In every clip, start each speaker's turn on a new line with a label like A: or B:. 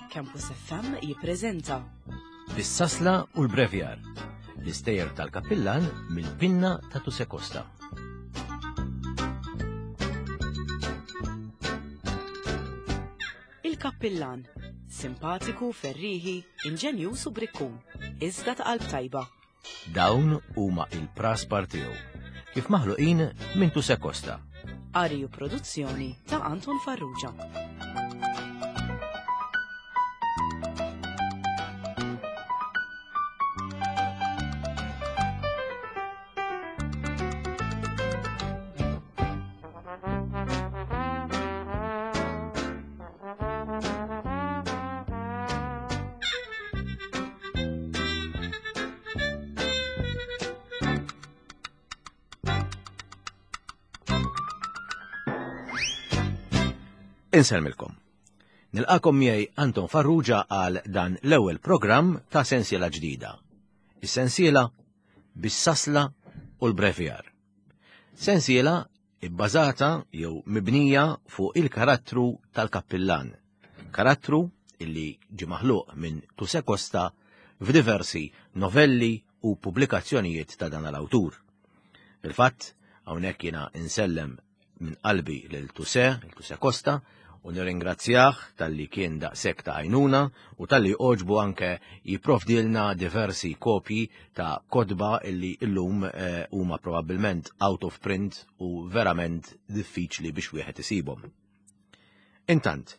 A: Campus FM jippreżenta
B: Bis-sasla u l-brevjar, l-istejjer tal-kappillan mill-pinna ta' Tuse Costa.
A: Il-Kappillan, simpatiku, ferrieħi, inġenjuż u brikkun, iżda ta' qalb tajba.
B: Dawn huma il-praspar tiegħu, kif maħluqin minn Tuse Costa.
A: Qari u produzzjoni ta' Anton Farrugia.
B: Insellmilkom. Nilqakom miegħi Anton Farrugia għal dan l-ewwel programm ta' sensiela ġdida. Is-sensiela bis-sasla u l-brevjar. Sensiela ibbażata jew mibnija fuq il-karattru tal-kappillan. Karattru illi ġie maħluq minn Tuse Costa f'diversi novelli u pubblikazzjonijiet ta' dan l-awtur. Fil-fatt, hawnhekk jiena insellem minn qalbi lil Tuse, lil Tuse Costa, u nirringrazzjah talli kien daqshekk ta' għajnuna u talli għoġbu anke jipprovdilna diversi kopji ta' kotba illi illum eh, huma probabbilment out of print u verament diffiċli biex wieħed isibhom. Intant,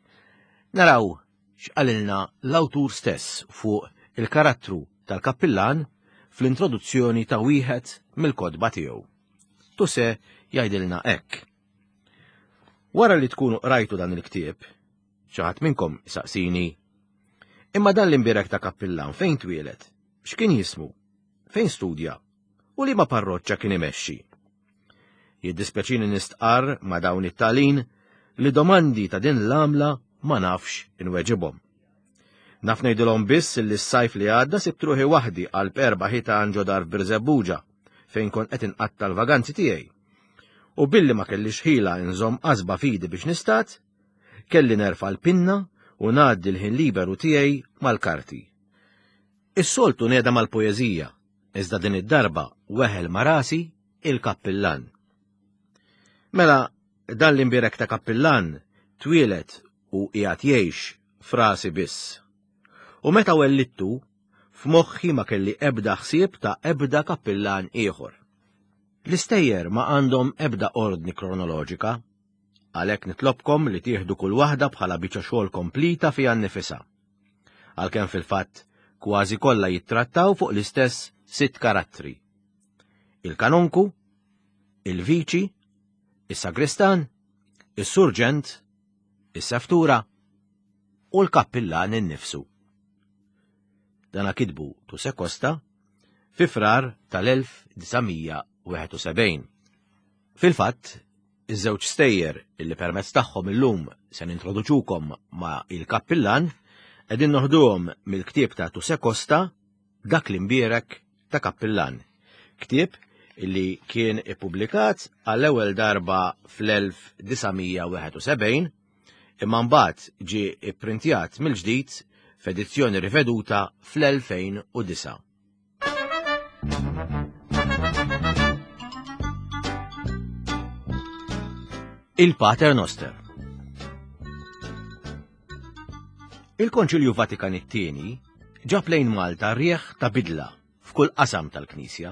B: naraw x'qalilna l-awtur stess fuq il-karattru tal-kappillan fl-introduzzjoni ta' wieħed mill-kotba tiegħu. Tuse jgħidilna hekk. Wara li tkunu qrajtu dan il-ktieb, xi ħadd minnkom isaqsini, imma dan l-imbierek ta' kappillan fejn twieled? X'kien jismu? Fejn studja? U liema parroċċa kien imexxi? Jiddispjaċini nistqarr ma' dawn it-talin li domandi ta' din l-għamla ma nafx inweġibhom. Naf ngħidilhom biss li s-sajf li għadda sibt ruħi waħdi qalb erba' ħitan ġo dar f'Birżebbuġa fejn kont qed inqatta' l-vaganzi tiegħi. U billi ma kellix ħila inżomm qasba f'idi biex nistad, kelli nerfa' l-pinna u ngħaddi l-ħin liberu tiegħi mal-karti. Is-soltu neda mal-poeżija, iżda din id-darba weħel ma' rasi il-kappillan. Mela, dan l-imbierek ta' kappillan twieled u qiegħed jgħix f'rasi biss. U meta wellidtu, f'moħħi ma kelli ebda ħsieb ta' ebda kappillan ieħor. L-istejjer ma għandhom ebda ordni kronoloġika, għalhekk nitlobkom li tieħdu kull waħda bħala biċċa xogħol komplita fiha nnifisha. Għalkemm fil-fatt kważi kollha jittrattaw fuq l-istess sitt karattri. Il-kanonku, il-viċi, is-sagristan, is-surġent, is-seftura u l-kappillan innifsu. Dana kitbu Tuse Costa fi Frar tal-1971. Fil-fatt, iż-żewġ stejjer illi permezz tagħhom illum se nintroduċukom ma' il-kappillan qegħdin noħduhom mill-ktieb ta' Tuse Costa Dak l-imbierek ta' Kappillan, ktieb illi kien ippubblikat għall-ewwel darba fl-1971 imma mbagħad ġie ipprintjat mill-ġdid f'edizzjoni riveduta fl-2009. Il-Pater Noster Il-Konċilju Vatikan it-Tieni ġab lejn Malta rieħ ta' bidla f'kull qasam tal-Knisja.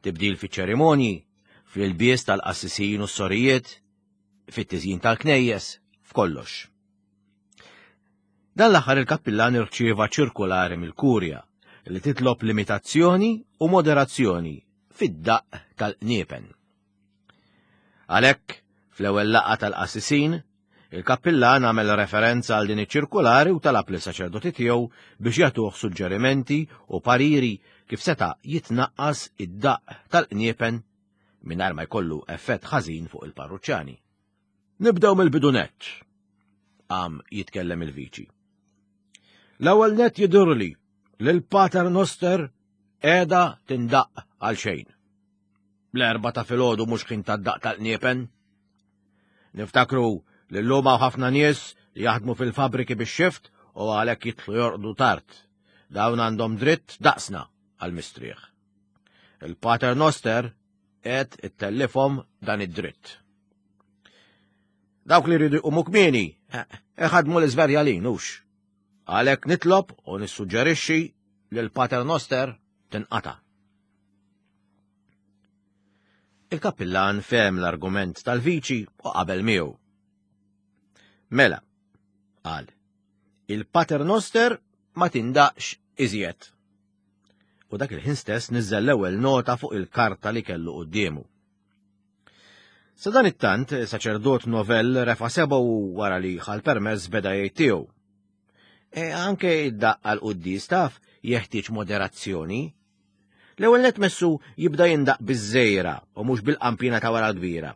B: Tibdil fiċ-ċerimonji, fl-ilbies tal-qassisin u s-sorijiet, fit-tiżjin tal-knejjes, f'kollox. Dan l-aħħar il-kappillan irċieva ċirkulari mill-Kurja li titlob limitazzjoni u moderazzjoni fid-daqq tal-qniepen. Għalhekk, fl-ewwel laqgħa tal-qassisin, il-kappillan għamel referenza għal din iċ-ċirkulari u talab lis-saċerdoti tiegħu biex jagħtuh suġġerimenti u pariri kif seta' jitnaqqas id-daqq tal-qniepen mingħajr ma jkollu effett ħażin fuq il-parruċċani. Nibdew mill-bidu nett, qam jitkellem il-viċi. L-ewwel nett jidhirli li l-Pater Noster qiegħda tindaqq għal xejn. L-erba ta' filgħodu mhux ħin tad-daqq tal-qniepen. Niftakru li llum hawn ħafna nies li jaħdmu fil-fabriki bix-xift u għalhekk jidħlu jorqdu tard. Dawn għandhom dritt daqsna għall-mistrieħ. Il-Pater Noster qed ittellifhom dan id-dritt. Dawk li jridu jqumu kmieni, eh, iħadmu l-iżverjalin hux. Għalhekk nitlob u nissuġġerixxi li l-Pater Noster tinqata'. Il-kappillan fehem l-argument tal-viċi u qabel miegħu. Mela, qal, il-Pater Noster ma tindaqx iżjed. U dak il-ħin stess niżel l-ewwel nota fuq il-karta li kellu quddiemu. Sa dan it-tant, saċerdot novell refa sebgħu wara li ħal permess beda jgħid tiegħu. E anke id-daqq għal quddis taf jeħtieġ moderazzjoni. L-ewwel net messu jibda jindaq biż-żejra u mhux bil-qampina ta' wara l-kbira.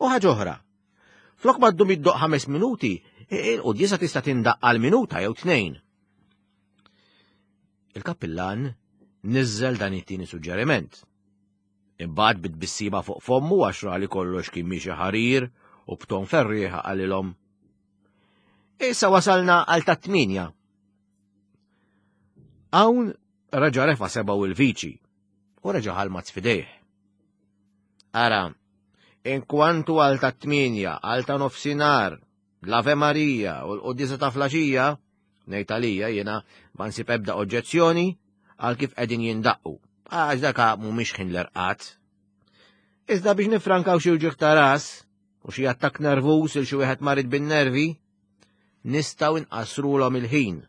B: U ħaġa oħra, flok ma ddum iddoq ħames minuti, il-quddiesa tista' tindaq għal minuta jew tnejn. Il-kappillan niżżel dan it-tieni suġġeriment. Imbagħad bit-tbissima fuq fommu għax ra li kollox kien miexi ħarir u b'ton ferrieħa qalilhom. Issa wasalna għal ta' tminja. Hawn reġa' refa' sebgħu il-viċi u reġa' ħalmat f'idejh. Ara, inkwantu għal ta' tminja, għal ta' nofsinhar, l-Ave Marija u l-Quddiesa ta' flaxija, ngħid għalija jiena ma nsib ebda oġġezzjoni għal kif qegħdin jindaqqu, għax daka mhumiex ħin l-erqat. Iżda biex nifrankaw xi wġigħ ta' ras u xi attakk nervuż il xi wieħed marid bin-nervi, nistgħu nqassrulhom il-ħin.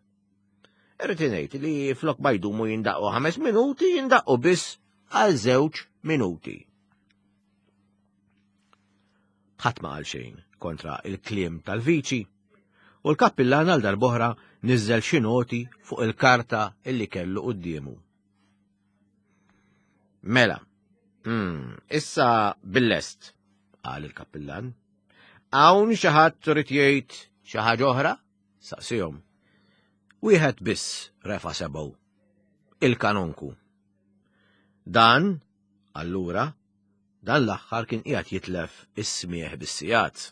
B: Irrid ngħid li flok ma jdumu jindaqqu ħames minuti, jindaqqu biss għal żewġ minuti. Ħadd ma qal xejn kontra il-kliem tal-viċi u l-kappillan għal darb'oħra niżel xi noti fuq il-karta illi kellu quddiemu. Mela, hmm, issa bil-lest, qal il-kappillan. Hawn xi ħadd trid jgħid xi ħaġa oħra? Saqsihom. Wieħed biss refa' sebgħu. Il-kanonku. Dan, allura, dan l-aħħar kien qiegħed jitlef is-smieħ bis-sigħat.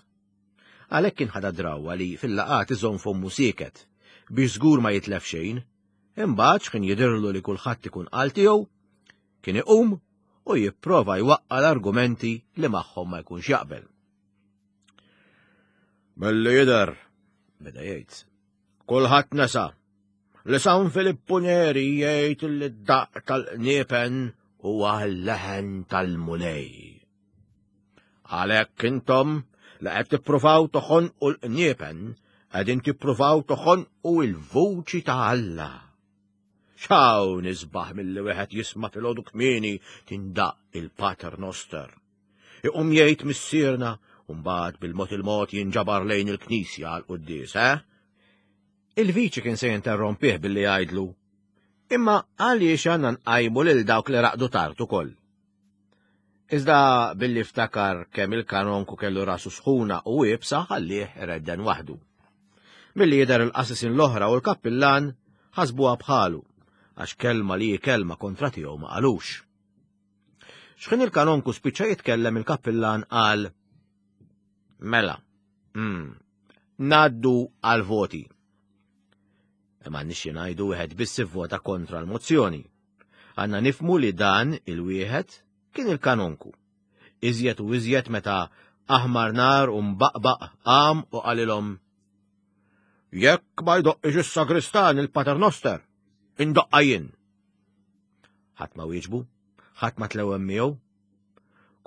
B: Għalhekk kien ħadha drawwa li fil-laqgħat iżomm fommu sieket biex żgur ma jitlef xejn, imbagħad x'kien jidhirlu li kulħadd ikun qal tiegħu, kien iqum u jipprova jwaqqa' l-argumenti li magħhom ma jkunx jaqbel. Milli jidher, beda jgħid, kulħadd nesa li San Filippu Neri jgħid li d-daqq tal-qniepen huwa l-leħen tal-Mulej. Għalhekk intom li qed tippruvaw toħonqu l-qniepen, qegħdin tippruvaw toħonqu l-vuċi ta' Alla. X'hawn isbaħ milli wieħed jisma' filgħodu kmieni tindaq il-Pater Noster. Iqum jgħid missierna u mbagħad bil-mod il-mod jinġabar lejn il-knisja għal quddies, eh? Il-viċi kien se jinterrompih billi jgħidlu, imma għaliex għandna nqajmu lil dawk li raqdu tard ukoll. Iżda billi ftakar kemm il-kanonku kellu rasu sħuna u iebsa ħallih iredden waħdu. Milli jidher il-qasisin l-oħra u l-kappillan ħasbuha bħalu, għax kelma li hi kelma kontra tiegħu ma qalux. X'ħin il-kanonku spiċċa jitkellem il-kappillan qal Mela, mm, ngħaddu għal voti. Imma nixxi ngħidu wieħed biss ivvota kontra l-mozzjoni. Għandna nifmu li dan il-wieħed kien il-kanonku. Iżjed u iżjed meta aħmar nar u mbaqbaq qam u qalilhom Jekk ma jdoqqix is-sagristan il-paternoster, indoqqa jien. Ħadd ma wieġbu, ħadd ma tlewem miegħu.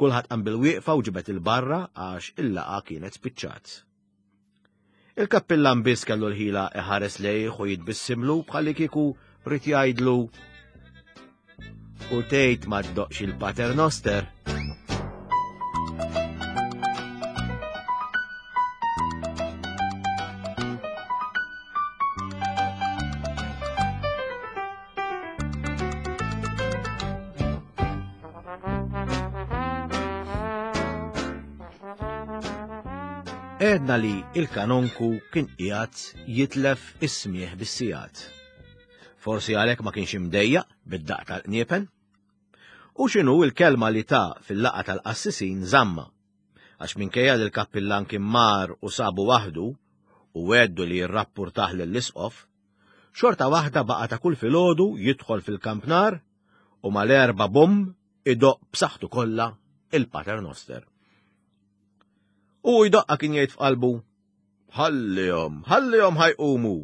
B: Kulħadd qam bil-wieqfa u ġibed il-barra għax il-laqa kienet spiċċat. Il-kappillan biss kellu l-ħila iħares lejh u jitbissimlu bħalli kieku rid jgħidlu u tgħid ma ddoqx il-Pater Noster. Għedna li il-kanonku kien qiegħed jitlef is-smieħ bis-sigħat. Forsi għalhekk ma kienx imdejjaq bid-daqq tal-qniepen? U x'inhu l-kelma li ta fil-laqgħa tal-qassisin żamma. Għax minkejja li l-kappillan kien mar u sabu waħdu. u għeddu li jirrappurtah lill-isqof, xorta waħda baqa' ta' kull filgħodu jidħol fil-kampnar u mal-erba' bum idoqq b'saħħtu kollha il-Pater Noster. U jdoqqa kien jgħid f'qalbu, ħallihom, ħallihom ħajqumu.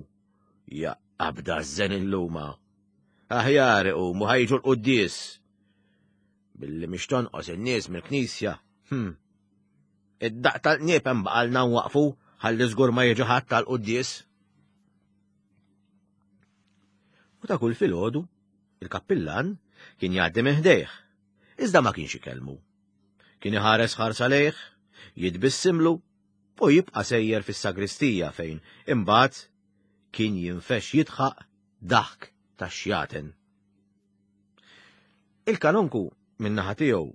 B: Ja qabda żen illuma. Aħjar iqumu ħajġu l-quddies. Billi mhix tonqos in-nies mill-knisja. Hm. Id-daq tal-qnieb hemm baqalna nwaqfu ħalli żgur ma jiġi ħadd tal-quddies. U ta' kull filgħodu, il-kappillan kien jgħaddi minn ħdejh, iżda ma kienx ikellmu. Kien iħares ħarsa lejh, jitbissimlu u jibqa' sejjer fis-sagristija fejn imbagħad kien jinfex jidħaq daħk ta' xjaten. Il-kanonku min-naħa tiegħu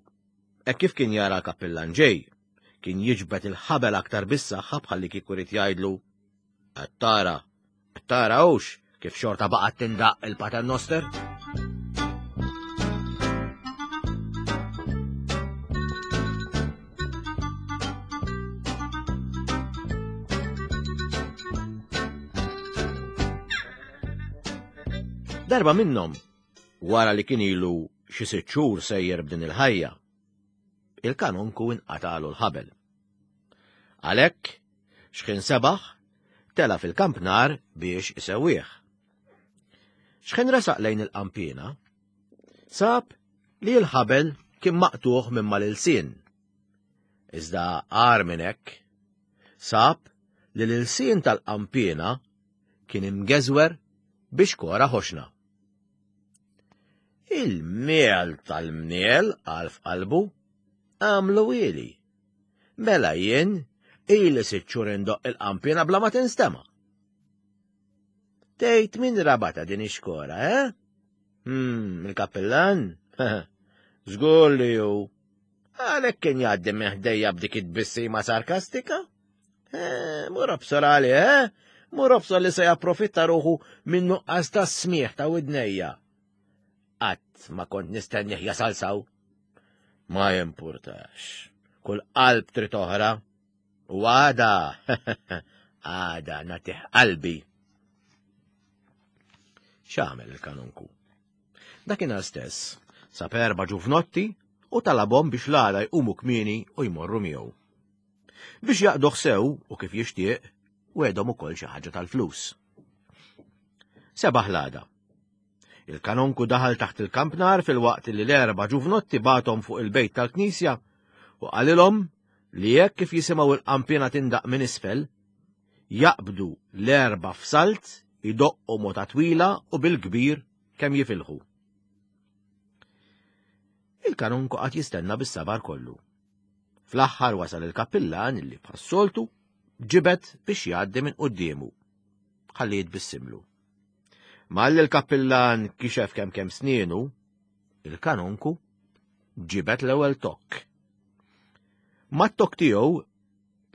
B: hekk kif kien jara l-kappillan ġej, kien jiġbed il-ħabel aktar bis-saħħa bħalli kieku ried jgħidlu Qed tara, qed tara hux kif xorta baqgħet tindaq il-Pater Noster? Darba minnhom, wara li kien ilu xi sitt xhur sejjer b'din il-ħajja, il-kanonku inqatalu l-ħabel. Għalhekk, xħin sebaħ, tela fil-kampnar biex isewwih. Xħin resaq lejn il-qanpiena, sab li l-ħabel kien maqtuħ minn mal-ilsien. Iżda agħar minn hekk, sab li l-ilsien tal-qanpiena kien imgeżwer biex kora ħoxna. Il-miel tal-mniel għal f'qalbu għamlu ili. Mela jien ili sitt xhur indoqq il-qanpiena bla ma tinstema'. Tgħid min rabata din ix-xkora, eh? Hmm, il-kappillan? Żgur li hu. Għalhekk kien jgħaddi minn ħdejja b'dik it-tbissima sarkastika? Eh, mur obsor għalih, eh? Mur obsor li se japprofitta ruħu minn nuqqas ta' smieħ ta' widnejja. Qatt ma kont nistennih jasal saw. Ma jimpurtax. Kull qalb trid oħra. U għada, għada nagħtih qalbi. X'għamel il-kanonku? Dakinhar stess, sab erba' ġuvnotti u talabhom biex l-għada jqumu kmieni u jmorru miegħu. Biex jaqduh sew u kif jixtieq, wegħdhom ukoll xi ħaġa tal-flus. Sebaħ l-għada. Il-kanonku daħal taħt il-kampnar filwaqt li l-erba' ġuvnotti bagħthom fuq il-bejt tal-knisja u qalilhom li hekk kif jisimgħu l-qanpiena tindaq minn isfel, jaqbdu l-erba' f'salt idoqqu mota twila u bil-kbir kemm jifilħu. Il-kanonku qagħad jistenna bis-sabar kollu. Fl-aħħar wasal il-kappillan li bħas-soltu ġibed biex jgħaddi minn quddiemu. Ħalli jitbissimlu. Malli l-kappillan kixef kemm kemm snienu, il-kanonku ġibed l-ewwel tokk. Mat-tokk tiegħu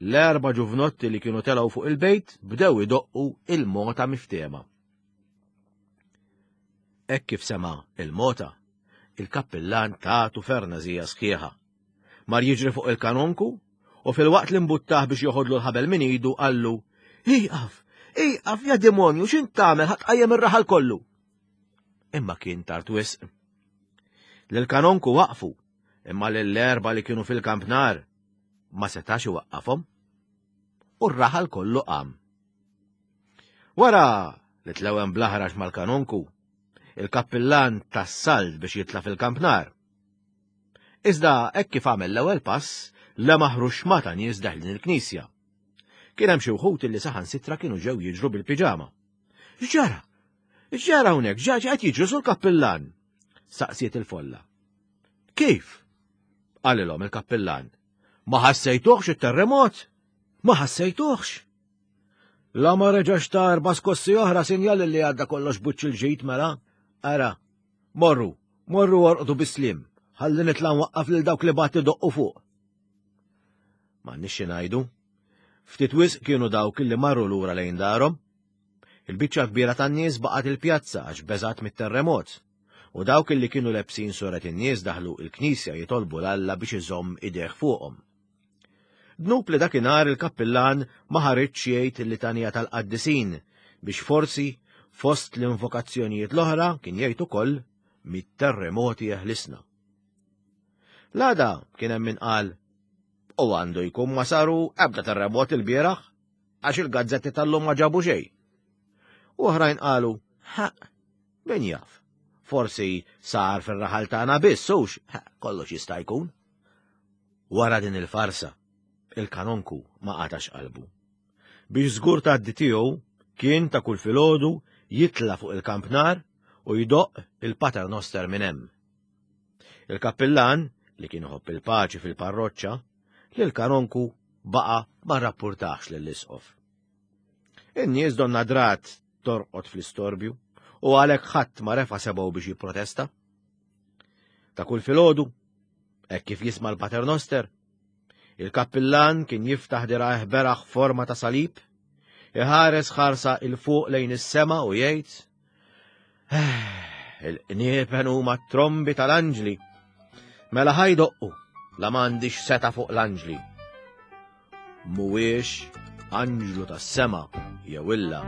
B: l-erba' ġuvnotti li kienu telgħu fuq il-bejt bdew idoqqu il-mota miftehma. Hekk kif sema' il-mota, il-kappillan tatu fernazija sħiħa. Mar jiġri fuq il-kanonku u filwaqt li mbuttah biex joħodlu l-ħabel minn idu qallu, Iqaf, iqaf ja demonju, x'int tagħmel ħa tqajjem ir-raħal kollu. Imma kien tard wisq. Lil-kanonku waqfu, imma lill-erba li kienu fil-kampnar ma setax iwaqqafhom. U r-raħal kollu qam. Wara li tlewem bl-aħrax mal-kanonku, il-kappillan tas-salt biex jitla' fil-kampnar. Iżda hekk kif għamel l-ewwel pass, lemaħ ruxma ta' nies deħlin il-knisja. Kien hemm xi wħud li saħansitra kienu ġew jiġru bil-piġama. X'ġara? X'ġara hawnhekk? X'ġara qed jiġru sur kappillan? Saqsiet il-folla. Kif? Qalilhom il-kappillan. Ma ħassejtuhx it-terremot? Ma ħassejtuhx? La ma reġax ta' erba' skossi oħra sinjal li għadda kollox buċċ il-ġid mela. Ara, morru, Morru orqdu bis-sliem, ħalli nitla' nwaqqaf lil dawk li bagħat idoqqu fuq. M'għandniex xi ngħidu. Ftit wisq kienu dawk li marru lura lejn darhom. Il-biċċa kbira tan-nies baqgħet il-pjazza għax beżgħet mit-terremot. U dawk li kienu lebsin suret in-nies daħlu il-knisja jitolbu 'l Alla biex iżomm idejh fuqhom. Dnub li dakinhar il-kappillan ma ħariġx jgħid il-litanija tal-qaddisin biex forsi fost l-invokazzjonijiet l-oħra kien jgħid ukoll mit-terremoti jeħlisna. L-għada kien hemm min qal u għandu jkun ma saru ebda terremot il-bieraħ għax il-gazzetti tal-lum ma ġabu xejn. U oħrajn qalu, ha, min jaf, forsi sar fir-raħal tagħna biss hux, kollox jista' jkun. Wara din il-farsa, il-kanonku ma qatax qalbu. Biex żgur tgħaddi tiegħu kien ta' kull filgħodu jitla' fuq il-kampnar u jdoqq il-paternoster minn hemm. Il-kappillan, li kien iħobb il-paċi fil-parroċċa, lil kanonku baqa' ma rrappurtax lill-isqof. In-nies donna drat torqod fl-istorbju u għalhekk ħadd ma refa' sebgħu biex jipprotesta. Ta' kull filgħodu, hekk kif jisma' l-paternoster, il-kappillan kien jiftaħ dirgħajh beraħ forma ta' salib, iħares ħarsa 'il fuq lejn is-sema u jgħid, eh, Il-qniepen huma t-trombi tal-anġli. Mela ħajdoqqu la m'għandix seta' fuq l-anġli. Mhuwiex anġlu tas-sema jew illa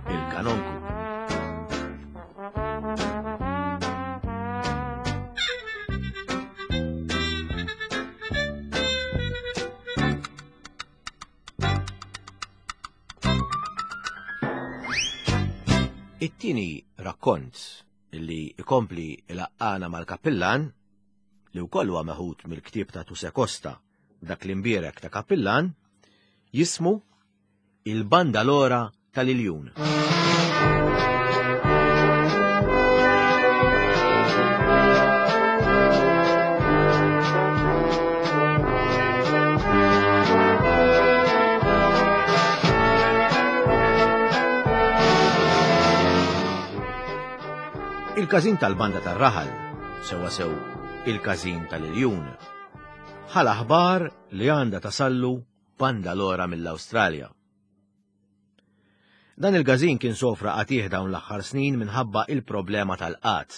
B: il-kanonku. It-tieni rakkont li ikompli ilaqqana mal-kappillan li wkoll huwa meħud mill-ktieb ta' Tuse Costa dak l-imbierek ta' kappillan jismu Il-Bandalora tal-Iljun. Il-każin tal-banda tar-raħal, sewwa sew il-każin tal-Iljun, ħa l-aħbar li għandha tasallu bandalora mill-Awstralja. Dan il-każin kien sofra qatih dawn l-aħħar snin minħabba il-problema tal-qat.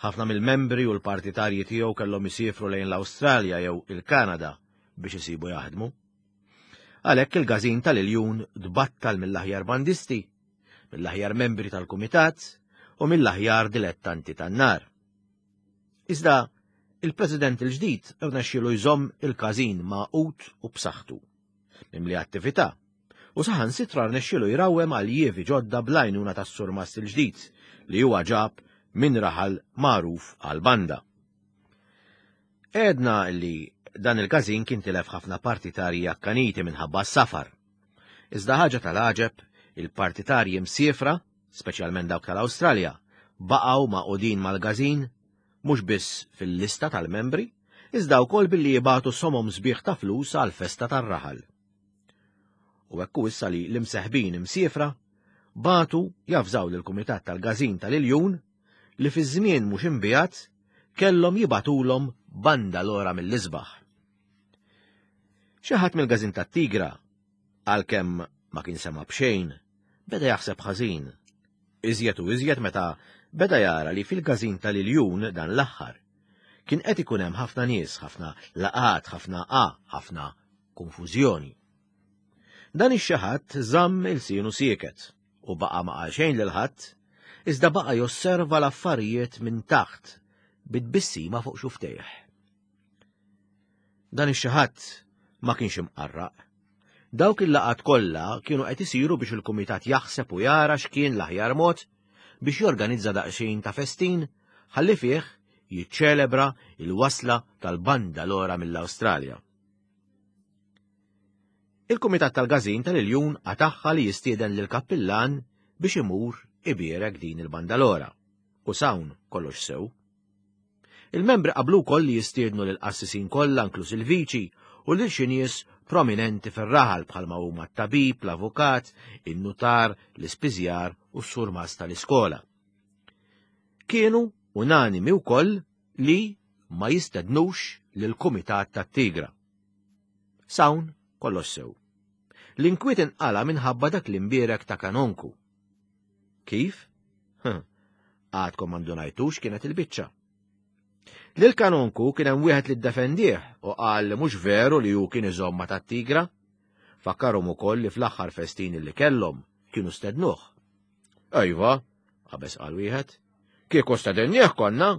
B: Ħafna mill-membri u l-partitarji tiegħu kellhom isiefru lejn l-Awstralja jew il-Kanada biex isibu jaħdmu. Għalhekk il-każin tal-Iljun tbattal mill-aħjar bandisti, mill-aħjar membri tal-kumitat u mill-aħjar dilettanti tan-nar. Iżda il-President il-ġdid rnexxielu jżomm il-każin magħqud u b'saħħtu, mimli attività, u saħansitra rnexxielu jrawwem aljievi ġodda bl-għajnuna tas-surmast il-ġdid li huwa ġab minn raħal magħruf għall-banda. Għedna li dan il-każin kien tilef ħafna partitarji akkaniti minħabba s-safar. Iżda ħaġa tal-għaġeb, il-partitarji msiefra, speċjalment dawk tal-Awstralja, baqgħu magħqudin mal-każin mhux biss fil-lista tal-membri, iżda wkoll billi jibagħtu somom sbieħ ta' flus għall-festa tar-raħal. U hekk hu issa li l-imseħbin imsiefra bagħtu javżaw lill-Kumitat tal-Każin tal-Iljun li fi żmien mhux imbiegħed kellhom jibagħtulhom bandalora mill-isbaħ. Xi ħadd mill-Każin tat-Tigra, għalkemm ma kien sema' b'xejn, beda jaħseb ħażin. Iżjed u iżjed meta beda jara li fil-każin tal-Iljun dan l-aħħar kien qed ikun hemm ħafna nies, ħafna laqgħat, ħafna a, ħafna konfużjoni. Dan ix-xi ħadd żamm ilsienu sieket u baqa' ma qal xejn lil ħadd, iżda baqa' josserva l-affarijiet minn taħt bi tbissima fuq xuftejh. Dan ix-xi ħadd ma kienx imqarraq. Dawk il-laqgħat kollha kienu qed isiru biex il-kumitat jaħseb u jara x'kien l-aħjar mod biex jorganizza daqsxejn ta' festin ħalli fih jiċċelebra il-wasla tal-bandalora mill-Awstralja. Il-Kumitat tal-Każin tal-Iljun qatagħha li jistieden lill-kappillan biex imur ibierek din il-bandalora. U s'hawn kollox sew. Il-membri qablu wkoll li jistiednu lill-qassisin kollha inkluż il-viċi u lil xi nies prominenti fir-raħal bħalma huma t-tabib, l-avukat, in-nutar, l-ispiżjar u s-surmast tal-iskola. Kienu unanimi wkoll li ma jistednux lill-Kumitat tat-Tigra. S'hawn kollox sew. L-inkwiet inqala' minħabba dak l-imbierek ta' kanonku. Kif? Għadkom ma ndunajtux kienet il-biċċa. Lil kanonku kien hemm wieħed li ddefendih u qal li mhux veru li hu kien iżomm ma' tat-tigra. Fakkarhom ukoll li fl-aħħar festin li kellhom kienu stednuh. Ejva, qabeż qal wieħed. Kieku stedinnieh konna,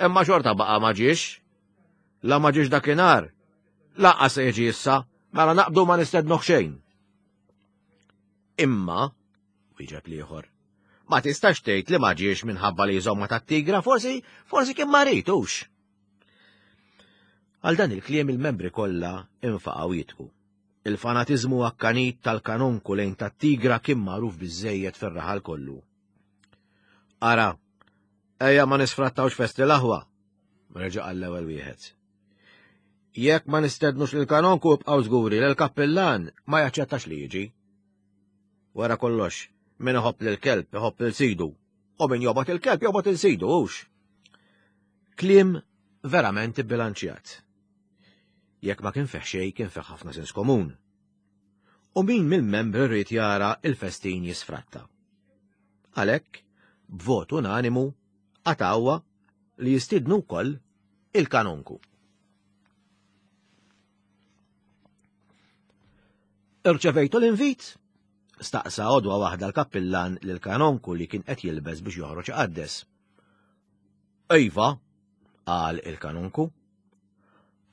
B: imma xorta baqa' ma ġiex. La ma ġiex dakinhar, lanqas se jiġi issa, mela naqbdu ma nistednuh xejn. Imma, wieġeb l-ieħor, ma tistax tgħid li ma ġiex minħabba li jżomma tat-tigra, forsi, forsi kien marid hux. Għal dan il-kliem il-membri kollha infaqgħu jitku. Il-fanatiżmu akkanit tal-kanonku lejn tat-tigra kien magħruf biżejjed fir-raħal kollu. Ara, ejja ma nisfrattawx festi l-aħwa, reġa' għall-ewwel wieħed. Jekk ma nistednux lil kanonku ibqgħu żguri li l-kappillan ma jaċċettax li jiġi. Wara kollox, min iħobb lil kelb iħobb il sidu, u min jobgħod il-kelb jobgħod il sidu hux. Kliem verament ibbilanċjat. Jekk ma kien fih xejn kien fih ħafna sens komun. U min mill-membri rrid jara il-festin jisfratta. Għalhekk, b'vot unanimu, qatgħuha li jistidnu wkoll il-kanonku. Irċevejtu l-invit? Staqsa għodwa waħda l-kappillan lil kanonku li kien qed jilbes biex joħroġ iqaddes. Iva, qal il-kanonku.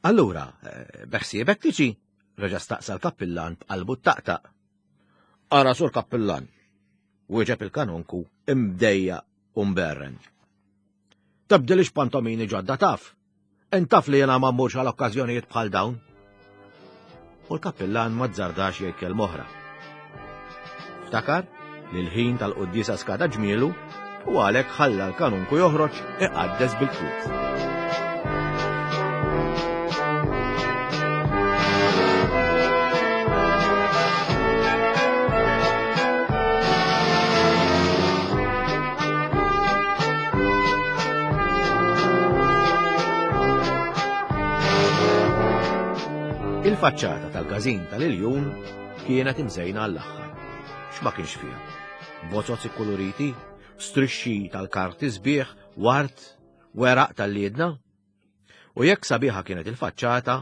B: Allura, eh, beħsiebek tiġi? Reġa' staqsa l-kappillan b'qalbu taqtaq. Ara sur kappillan, wieġeb il-kanonku imdejja u mberren. Tibdilix pantomini ġodda taf. Intaf li jena ma mmurx għal okkażjonijiet bħal dawn. U l-kappillan ma zzardax jgħid kelma oħra. Ftakar li l-ħin tal-quddiesa skada ġmielu u għalhekk ħalla l-kanunku joħroġ iqaddes bil-kwiet. Il-faċċata tal-każin tal-Iljun kienet imżejna għall-aħħar. X'ma kienx fiha? Bozoz ikkuluriti, strixxi tal-karti sbieħ, ward, weraq tal-liedna. U jekk sabiħa kienet il-faċċata,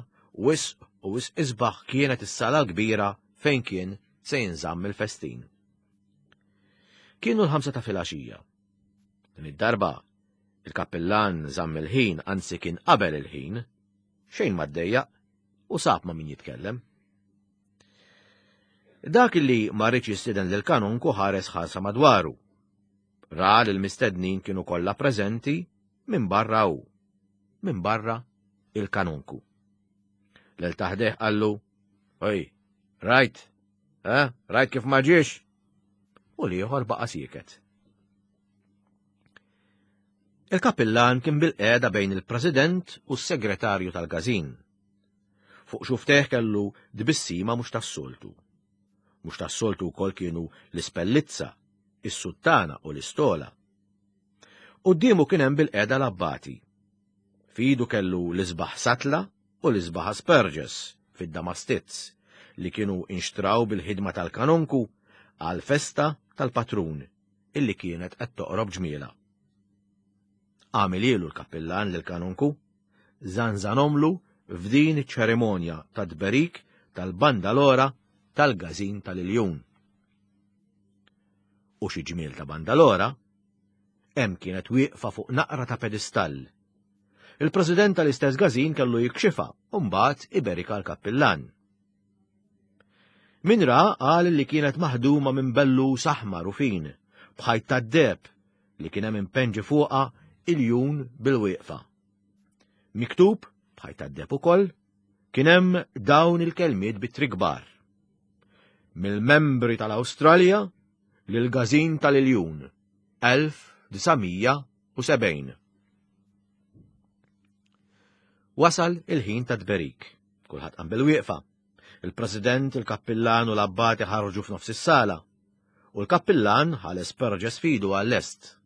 B: wisq u wisq isbaħ kienet is-sala l-kbira fejn kien se jinżamm il-festin. Kienu l-ħamsa ta' filgħaxija. Din id-darba, il-kappillan żamm il-ħin, anzi kien qabel il-ħin, xejn ma ddejjaq u sab ma' min jitkellem. Dak li ma rridx jistieden lil kanunku ħares ħarsa madwaru. Ra li l-mistednin kienu kollha preżenti minn barra hu, minn barra il-kanunku. Lel taħdeh qallu, Oj, rajt, eh, rajt kif ma ġiex? U l-ieħor baqa' sieket. Il-kapillan kien bil-qeda bejn il-president u s-segretarju tal-gazin. Fuq xufteh kellu tbissima mhux tas-soltu. Mhux tas-soltu wkoll kienu l-ispellizza, is-suttana u l-istola. Quddiemu kien hemm bil-qeda l-abbati. F'idu kellu l-isbaħ satla u l-isbaħ asperges fid-damastizz li kienu inxtraw bil-ħidma tal-kanonku għall-festa tal-patrun illi kienet qed toqrob ġmiela. Għamilielu l-kappillan lill-kanonku, żanżanomlu f'din iċ-ċerimonja ta' tberik tal-bandalora tal-gażin tal-Iljun. U xi ġmiel ta' bandalora, hemm kienet wieqfa fuq naqra ta' pedestall. Il-president tal-istess gażin kellu jikxifha u mbagħad iberika l-kappillan. Min ra qal li kienet maħduma minn bellus aħmar u fin, b'ħajt tad-deheb li kien hemm impenġi fuqha iljun bil-wieqfa. Miktub, b'ħajt tad-deheb ukoll, kien hemm dawn il-kelmiet b'ittri kbar. Mill-membri tal-Awstralja lill-Gażin tal-Iljun, 1970. Wasal il-ħin ta' tberik. Kulħadd qam bil-wieqfa. Il-President, il-Kappillan u l-Abbati ħarġu f'nofs is-sala. U l-Kappillan ħales perġes fidu għall-est.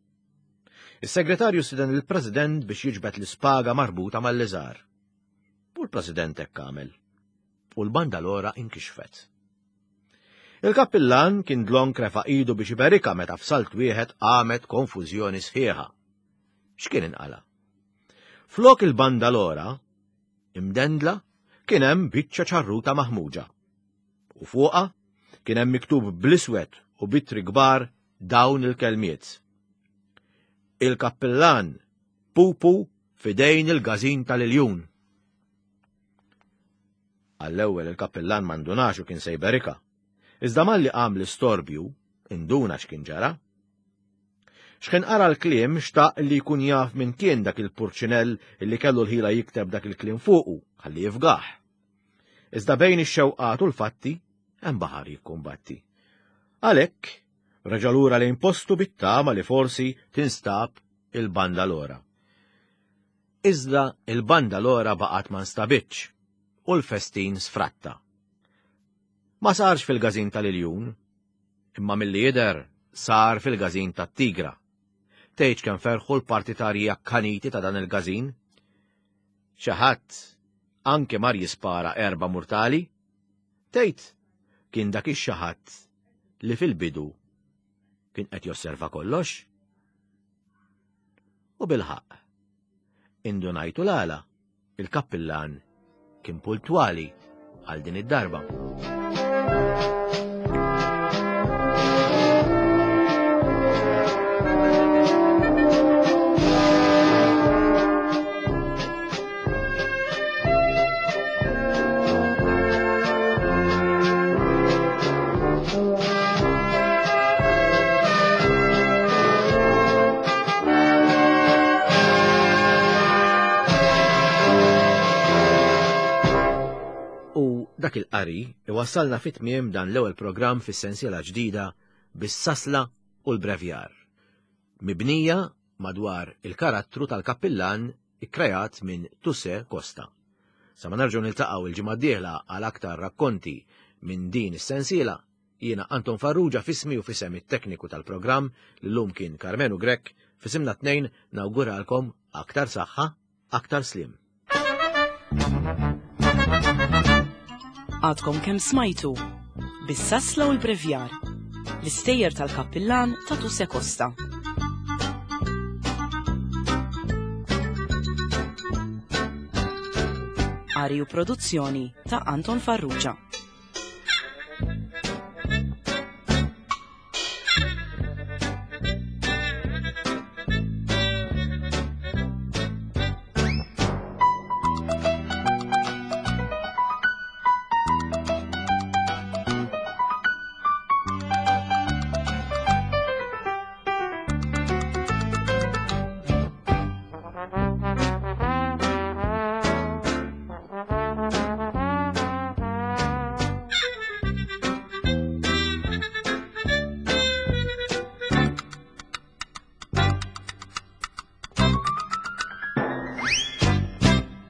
B: Is-segretarju stiden il-President biex jiġbed l-ispaga marbuta mal-liżar. U l-President hekk għamel. U l-bandalora inkixfet. Il-kappillan kien dlonk refa' idu biex iberikha meta f'salt wieħed qamet konfużjoni sħiħa. X'kien inqala'? Flok il-bandalora, imdendla, kien hemm biċċa ċarruta maħmuġa. U fuqha kien hemm miktub bl-iswed u b'ittri kbar dawn il-kelmiet. Il-kappillan Pupu f'idejn il-gażin tal-iljun. Għall-ewwel il-kappillan ma ndunax u kien se jberikha. Iżda malli qam l-istorbju, induna x'kien ġara. X'kien qara l-kliem xtaq li jkun jaf min kien dak il-purċinell li kellu l-ħila jikteb dak il-kliem fuqu, ħalli jifgah. Iżda bejn ix-xewqat u l-fatti hemm baħar jikkumbatti. Għalhekk, reġa' lura lejn postu bit-tama li forsi tinstab il-bandalora. Iżda il-bandalora baqgħet ma nstabitx u l-festin sfratta. Ma sarx fil-gażin tal-iljun, imma milli jidher sar fil-gażin tat-Tigra. Tgħidx kemm ferħu l-partitarji akkaniti ta' dan il-gażin. Xi ħadd anke mar jispara erba' murtali. Tgħid kien dak ix-xi ħadd li fil-bidu kien qed josserva kollox? U bilħaqq, indunajtu l-għala Il-kappillan kien puntwali għal din id-darba. U dak il-qari iwassalna fit tmiem dan l-ewwel programm fis-sensiela ġdida bis-sasla u l-brevjar. Mibnija madwar il-karattru tal-kappillan ikkreat minn Tusse Costa. Sa ma nerġgħu niltaqgħu il-ġimgħa d-dieħla għal aktar rakkonti minn din is-sensiela, Jiena Anton Farrugia f'ismi u f'isem it-tekniku tal-programm li llum kien Karmenu Grech, f'isimna t-tnejn nawguralkom aktar saħħa, aktar sliem.
A: Għadkom kemm smajtu Bis-sasla u l-brevjar, l-istejjer tal-kappillan ta' Tuse Costa. Qari u produzzjoni ta' Anton Farrugia.